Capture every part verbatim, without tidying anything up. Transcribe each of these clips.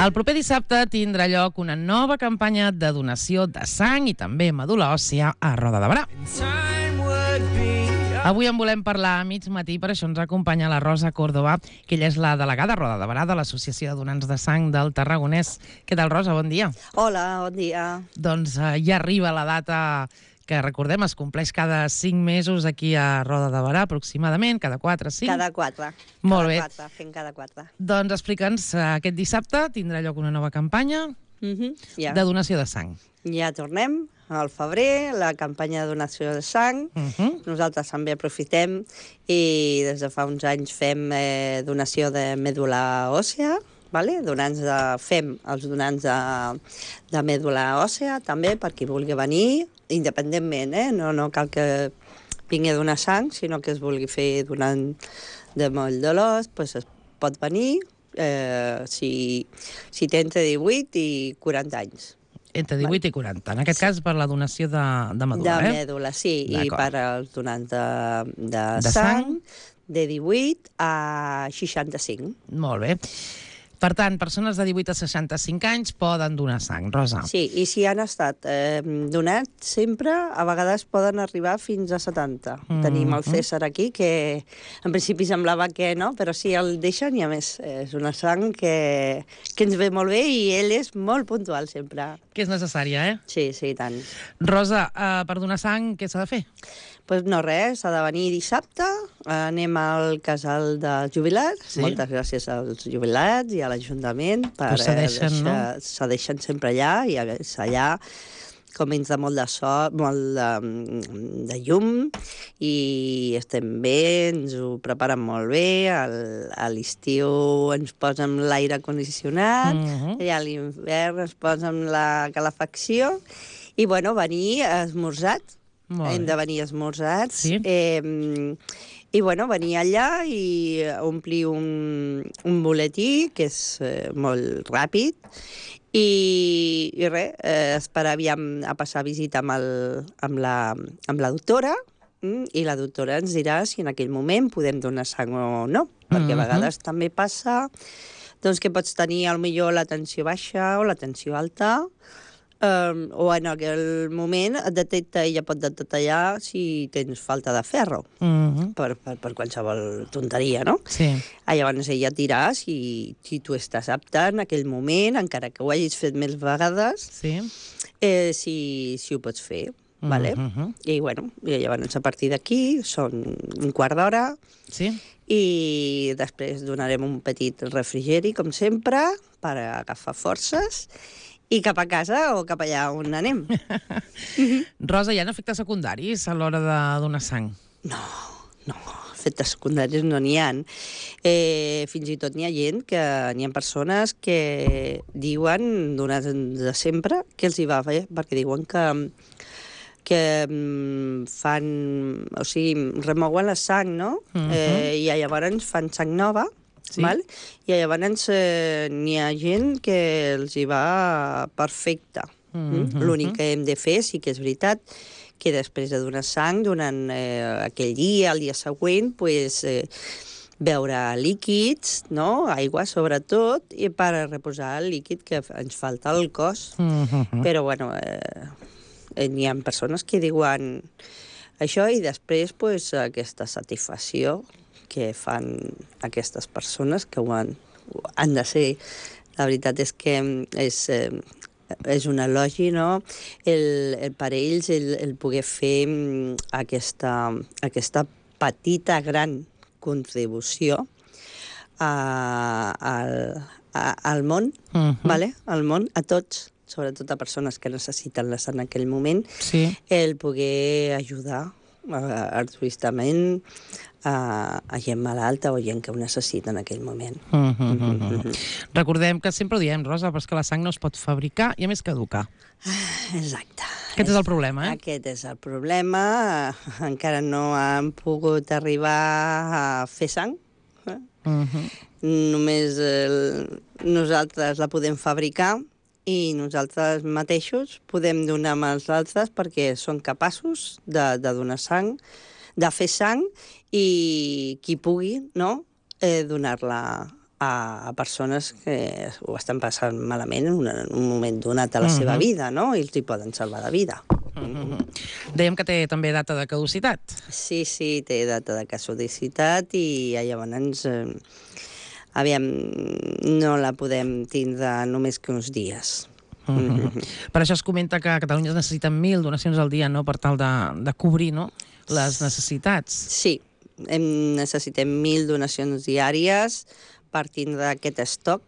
El proper dissabte tindrà lloc una nova campanya de donació de sang i també medul·la òssia a Roda de Berà. Avui en volem parlar a mig matí, per això ens acompanya la Rosa Córdoba, que ella és la delegada a Roda de Berà de l'Associació de Donants de Sang del Tarragonès. Què tal, Rosa? Bon dia. Hola, bon dia. Doncs eh, ja arriba la data que, recordem, es compleix cada cinc mesos aquí a Roda de Berà, aproximadament, cada quatre, cinc? Cada quatre. Molt cada bé. Quatre, fent cada quatre. Doncs explica'ns, eh, aquest dissabte tindrà lloc una nova campanya Mm -hmm. ja. de donació de sang. ja tornem al febrer, la campanya de donació de sang. Uh -huh. Nosaltres també aprofitem i des de fa uns anys fem eh, donació de mèdula òssea, vale? donants de, fem els donants de, de mèdula òssea també per qui vulgui venir, independentment, eh? no, no cal que vingui a donar sang, sinó que es vulgui fer donant de moll de l'os, doncs es pot venir eh, si, si té entre divuit i quaranta anys. Entre divuit i quaranta. En aquest cas, per la donació de, de medul·la, de eh? De mèdula, sí, i per als donants de, de, De sang, sang. de divuit a seixanta-cinc. Molt bé. Per tant, persones de divuit a seixanta-cinc anys poden donar sang, Rosa. Sí, i si han estat eh, donats sempre, a vegades poden arribar fins a setanta. Mm -hmm. Tenim el César aquí, que en principi semblava que no, però sí, el deixen i a més és una sang que, que ens ve molt bé i ell és molt puntual sempre. Que és necessària, eh? Sí, sí, i tant. Rosa, eh, per donar sang, què s'ha de fer? Doncs pues no, res, s'ha de venir dissabte, anem al casal dels jubilats, sí. Moltes gràcies als jubilats i a l'Ajuntament per cedeixen, deixar, no? cedeixen sempre allà, i a més allà com ens de molt de sol, molt de, de llum, i estem bé, ens ho preparen molt bé, el, a l'estiu ens posen l'aire condicionat, uh -huh. i a l'hivern ens posen la calefacció, i bueno, venir esmorzats, hem de venir esmorzats, sí. eh, i bueno, venir allà i omplir un, un boletí, que és eh, molt ràpid, i, i res, eh, esperar aviam a passar visita amb, el, amb, la, amb la doctora, mm, i la doctora ens dirà si en aquell moment podem donar sang o no, perquè a vegades uh-huh. també passa doncs, que pots tenir potser la tensió baixa o la tensió alta, Um, o en aquell moment et detecta, ella pot detectar si tens falta de ferro, uh -huh. per, per, per qualsevol tonteria, no? Sí. Ah, llavors ella et dirà si, si tu estàs apte en aquell moment, encara que ho hagis fet més vegades, sí. eh, si, si ho pots fer, uh -huh. vale? I bueno, i llavors a partir d'aquí són un quart d'hora, sí. i després donarem un petit refrigeri, com sempre, per agafar forces, i cap a casa o cap allà on anem. Rosa, hi ha efectes secundaris a l'hora de donar sang? No, no, efectes secundaris no n'hi ha. Eh, fins i tot n'hi ha gent, que n'hi ha persones que diuen, donats de sempre, que els hi va bé, perquè diuen que que fan, o sigui, remouen la sang, no? Uh-huh. eh, I llavors fan sang nova, sí. Val? I llavors eh, n'hi ha gent que els hi va perfecte. Uh-huh. L'únic que hem de fer, sí que és veritat, que després de donar sang, durant eh, aquell dia, el dia següent, pues, eh, beure líquids, no? Aigua sobretot, i per reposar el líquid que ens falta al cos. Uh-huh. Però, bueno, eh, n'hi ha persones que diuen això i després pues, aquesta satisfacció que fan aquestes persones que ho han, han de ser. La veritat és que és, eh, és un elogi, no? El, el per ells el, el poder fer aquesta, aquesta petita, gran contribució a, a, a, al món, uh-huh. vale? Al món, a tots, sobretot a persones que necessiten la sang en aquell moment, sí. El poder ajudar uh, altruistament a, a gent malalta o gent que ho necessita en aquell moment. Uh -huh, uh -huh. Uh -huh. Recordem que sempre ho diem, Rosa, però és que la sang no es pot fabricar i a més caduca. Exacte. Aquest és el problema, eh? Aquest és el problema. Encara no han pogut arribar a fer sang. Eh? Uh -huh. Només el, nosaltres la podem fabricar i nosaltres mateixos podem donar als altres perquè són capaços de, de donar sang, de fer sang, i qui pugui, no?, eh, donar-la a, a persones que ho estan passant malament en, una, en un moment donat a la uh-huh. seva vida, no? I els hi poden salvar la vida. Uh-huh. Dèiem que té també data de caducitat. Sí, sí, té data de caducitat i llavors, eh, aviam, no la podem tindre només que uns dies. Uh -huh. Uh-huh. Per això es comenta que a Catalunya es necessiten mil donacions al dia, no?, per tal de, de cobrir, no?, les necessitats. Sí, hem, necessitem mil donacions diàries per tindre aquest estoc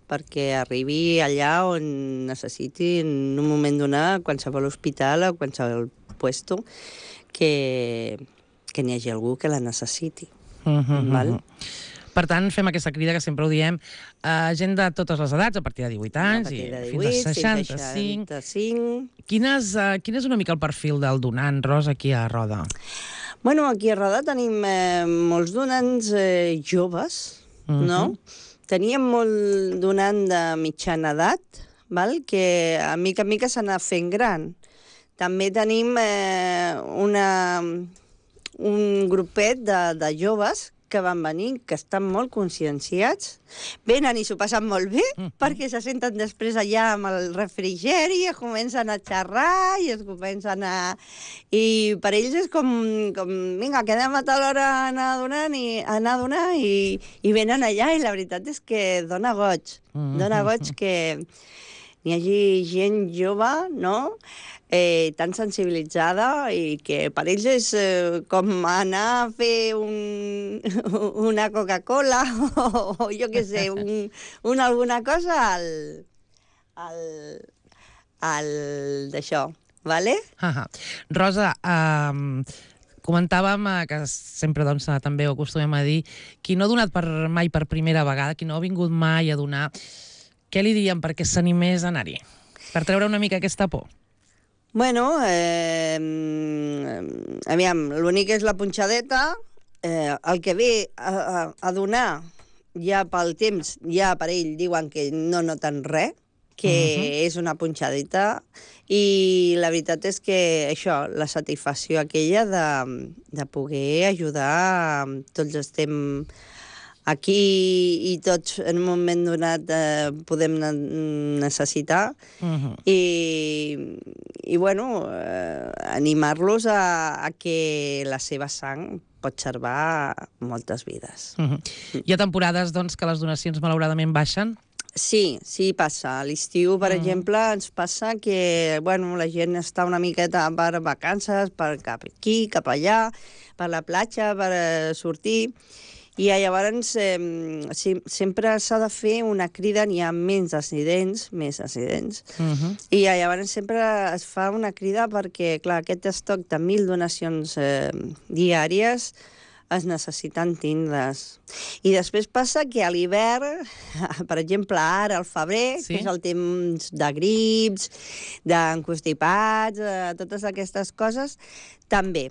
perquè arribi allà on necessiti en un moment donat qualsevol hospital o qualsevol puesto que, que n'hi hagi algú que la necessiti. Uh -huh. Val? Per tant, fem aquesta crida, que sempre ho diem, a gent de totes les edats, a partir de divuit anys de i divuit, fins a seixanta-cinc. seixanta-cinc. Quines, uh, quin és una mica el perfil del donant, Rosa, aquí a Roda? Bueno, aquí a Roda tenim eh, molts donants eh, joves, uh-huh. no? Teníem molt donant de mitjana edat, val? Que a mica a mica s'anà fent gran. També tenim eh, una, un grupet de, de joves que van venir, que estan molt conscienciats, venen i s'ho passen molt bé, uh -huh. perquè se senten després allà amb el refrigeri, es comencen a xerrar i es comencen a... I per ells és com, com vinga, quedem a tal hora a anar a donar, i, a anar a donar i, i venen allà, i la veritat és que dona goig. Uh -huh. Dona goig que n'hi hagi gent jove, no?, Eh, tan sensibilitzada i que per ells és eh, com anar a fer un, una Coca-Cola o, o jo què sé, un, un alguna cosa al, al, al d'això, vale? Uh-huh. Rosa, um, comentàvem que sempre doncs, també ho acostumem a dir, qui no ha donat per, mai per primera vegada, qui no ha vingut mai a donar, què li diríem perquè s'animés a anar-hi? Per treure una mica aquesta por. Bueno, eh, aviam, l'únic és la punxadeta, eh, el que ve a, a, a donar ja pel temps, ja per ell diuen que no noten res, que uh-huh. és una punxadeta, i la veritat és que això, la satisfacció aquella de, de poder ajudar, tots estem aquí i tots en un moment donat eh, podem necessitar uh-huh. i, i bueno, eh, animar-los a, a que la seva sang pot salvar moltes vides. Uh-huh. Hi ha temporades doncs, que les donacions malauradament baixen? Sí, sí passa. A l'estiu, per uh-huh. exemple, ens passa que bueno, la gent està una miqueta per vacances, per cap aquí, cap allà, per la platja, per sortir. I llavors eh, sí, sempre s'ha de fer una crida, n'hi ha menys accidents, més accidents, uh-huh. i llavors sempre es fa una crida perquè, clar, aquest estoc de mil donacions eh, diàries es necessiten tindre's. I després passa que a l'hivern, per exemple, ara al febrer, sí? que és el temps de grips, d'encostipats, eh, totes aquestes coses, també.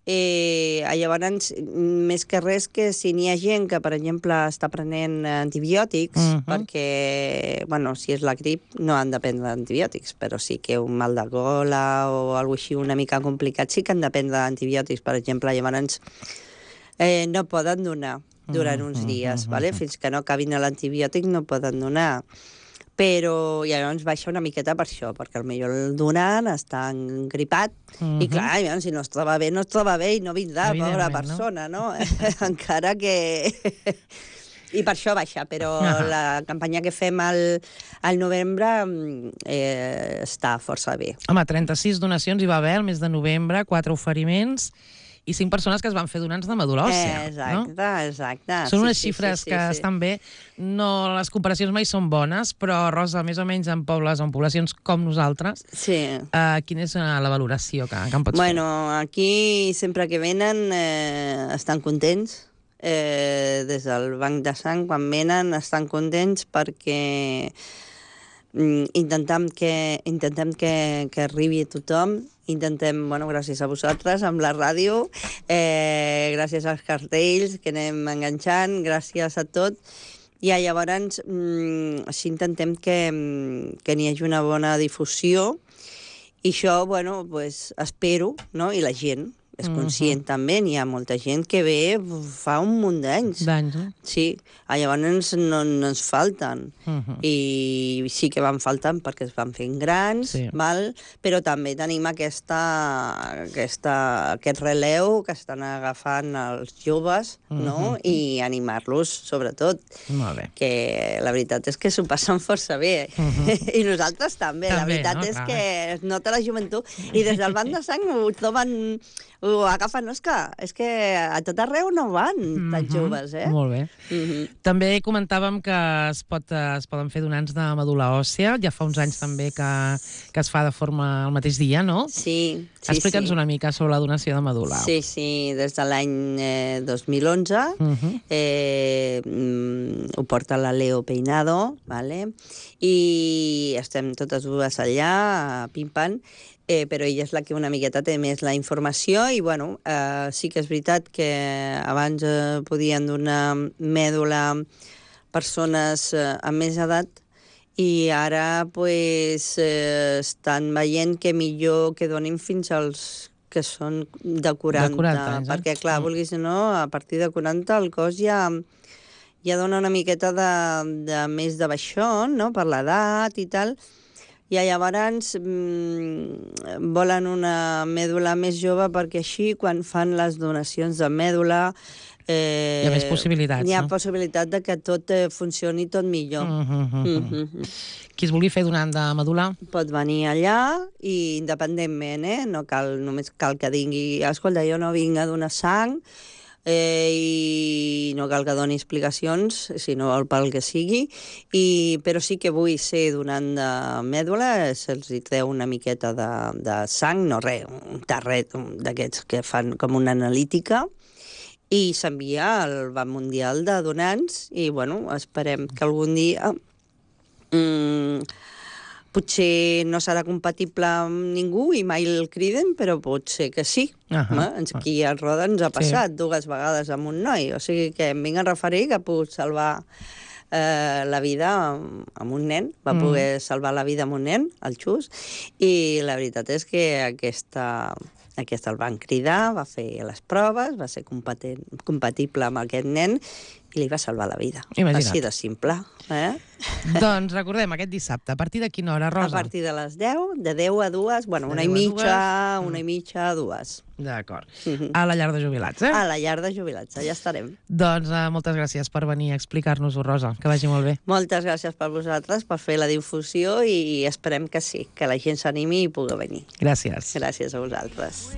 Eh, llavors, més que res, que si n'hi ha gent que, per exemple, està prenent antibiòtics, uh-huh. perquè, bueno, si és la grip, no han de prendre antibiòtics, però sí que un mal de gola o alguna cosa així una mica complicat, sí que han de prendre antibiòtics, per exemple, llavors eh, no poden donar durant uh-huh. uns dies, uh-huh. vale? Fins que no acabin l'antibiòtic no poden donar. Però llavors baixa una miqueta per això, perquè potser el donant està engripat, uh-huh. i clar, llavors, si no es troba bé, no es troba bé i no vindrà, pobra persona, no? no? Encara que... I per això baixa, però uh-huh. la campanya que fem al, al novembre eh, està força bé. Home, trenta-sis donacions hi va haver el mes de novembre, quatre oferiments i cinc persones que es van fer donants de medul·la òssia. Eh, exacte, no? exacte. Són unes sí, xifres sí, sí, que sí. estan bé. No, les comparacions mai són bones, però, Rosa, més o menys en pobles o en poblacions com nosaltres, sí. eh, quina és la valoració que, que en pots bueno, fer? Bueno, aquí sempre que venen eh, estan contents. Eh, des del banc de sang, quan venen, estan contents perquè mm, intentem que, intentem que, que arribi a tothom. Intentem, bueno, gràcies a vosaltres, amb la ràdio, eh, gràcies als cartells que anem enganxant, gràcies a tot. I llavors mm, sí, intentem que, que n'hi hagi una bona difusió i això, bueno, pues, espero, no? I la gent, és conscient uh -huh. també, n'hi ha molta gent que ve fa un munt d'anys. D'anys, eh? Sí, llavors no, no ens falten. Uh -huh. I sí que van faltant perquè es van fent grans, sí. val? Però també tenim aquesta, aquesta, aquest releu que estan agafant els joves, uh -huh. no? I animar-los, sobretot. Molt bé. Que la veritat és que s'ho passen força bé. Uh -huh. I nosaltres també. també la veritat no? és Clar. que es nota la joventut. I des del banc de sang ho troben... ho agafen, no? És que, és que a tot arreu no van mm -hmm. tan joves, eh? Molt bé. Mm -hmm. També comentàvem que es, pot, es poden fer donants de medul·la òssia. Ja fa uns anys també que, que es fa de forma al mateix dia, no? Sí, sí, Explica'ns sí. una mica sobre la donació de medul·la. Sí, sí, des de l'any eh, dos mil onze mm -hmm. eh, mm, ho porta la Leo Peinado, vale? I estem totes dues allà, pim-pam, Eh, però ella és la que una miqueta té més la informació i, bueno, eh, sí que és veritat que abans eh, podien donar mèdula persones eh, amb més edat i ara, pues, eh, estan veient que millor que donin fins als que són de quaranta, de quaranta anys, eh? perquè, clar, mm. vulguis o no, a partir de quaranta el cos ja, ja dona una miqueta de, de més de baixón, no?, per l'edat i tal. I llavors mmm, volen una mèdula més jove perquè així, quan fan les donacions de mèdula... Eh, hi ha més possibilitats, Hi ha no? possibilitat de que tot eh, funcioni tot millor. Uh -huh, uh -huh. Uh -huh. Qui es vulgui fer donant de medul·la? Pot venir allà i independentment, eh? No cal, només cal que digui, escolta, jo no vinc a donar sang, Eh, i no cal que doni explicacions, si no vol pel que sigui, i, però sí que vull ser donant de mèdula, se'ls treu una miqueta de, de sang, no res, un tarret d'aquests que fan com una analítica, i s'envia al Banc Mundial de Donants, i, bueno, esperem que algun dia... Mm, potser no serà compatible amb ningú i mai el criden, però pot ser que sí. Uh -huh. Aquí a Roda ens ha passat sí. dues vegades amb un noi, o sigui que em vinc a referir que ha pogut salvar eh, la vida amb un nen, va mm. poder salvar la vida amb un nen, el Xus, i la veritat és que aquesta... Aquesta el van cridar, va fer les proves, va ser compatible amb aquest nen i li va salvar la vida. Imagina't. Així de simple. Eh? Doncs recordem, aquest dissabte, a partir de quina hora, Rosa? A partir de les deu, de deu a dues, bueno, una i mitja, una i mitja a dues. D'acord. A la llar de jubilats, eh? A la llar de jubilats, allà estarem. Doncs uh, moltes gràcies per venir a explicar-nos-ho, Rosa. Que vagi molt bé. Moltes gràcies per vosaltres, per fer la difusió i esperem que sí, que la gent s'animi i pugui venir. Gràcies. Gràcies a vosaltres.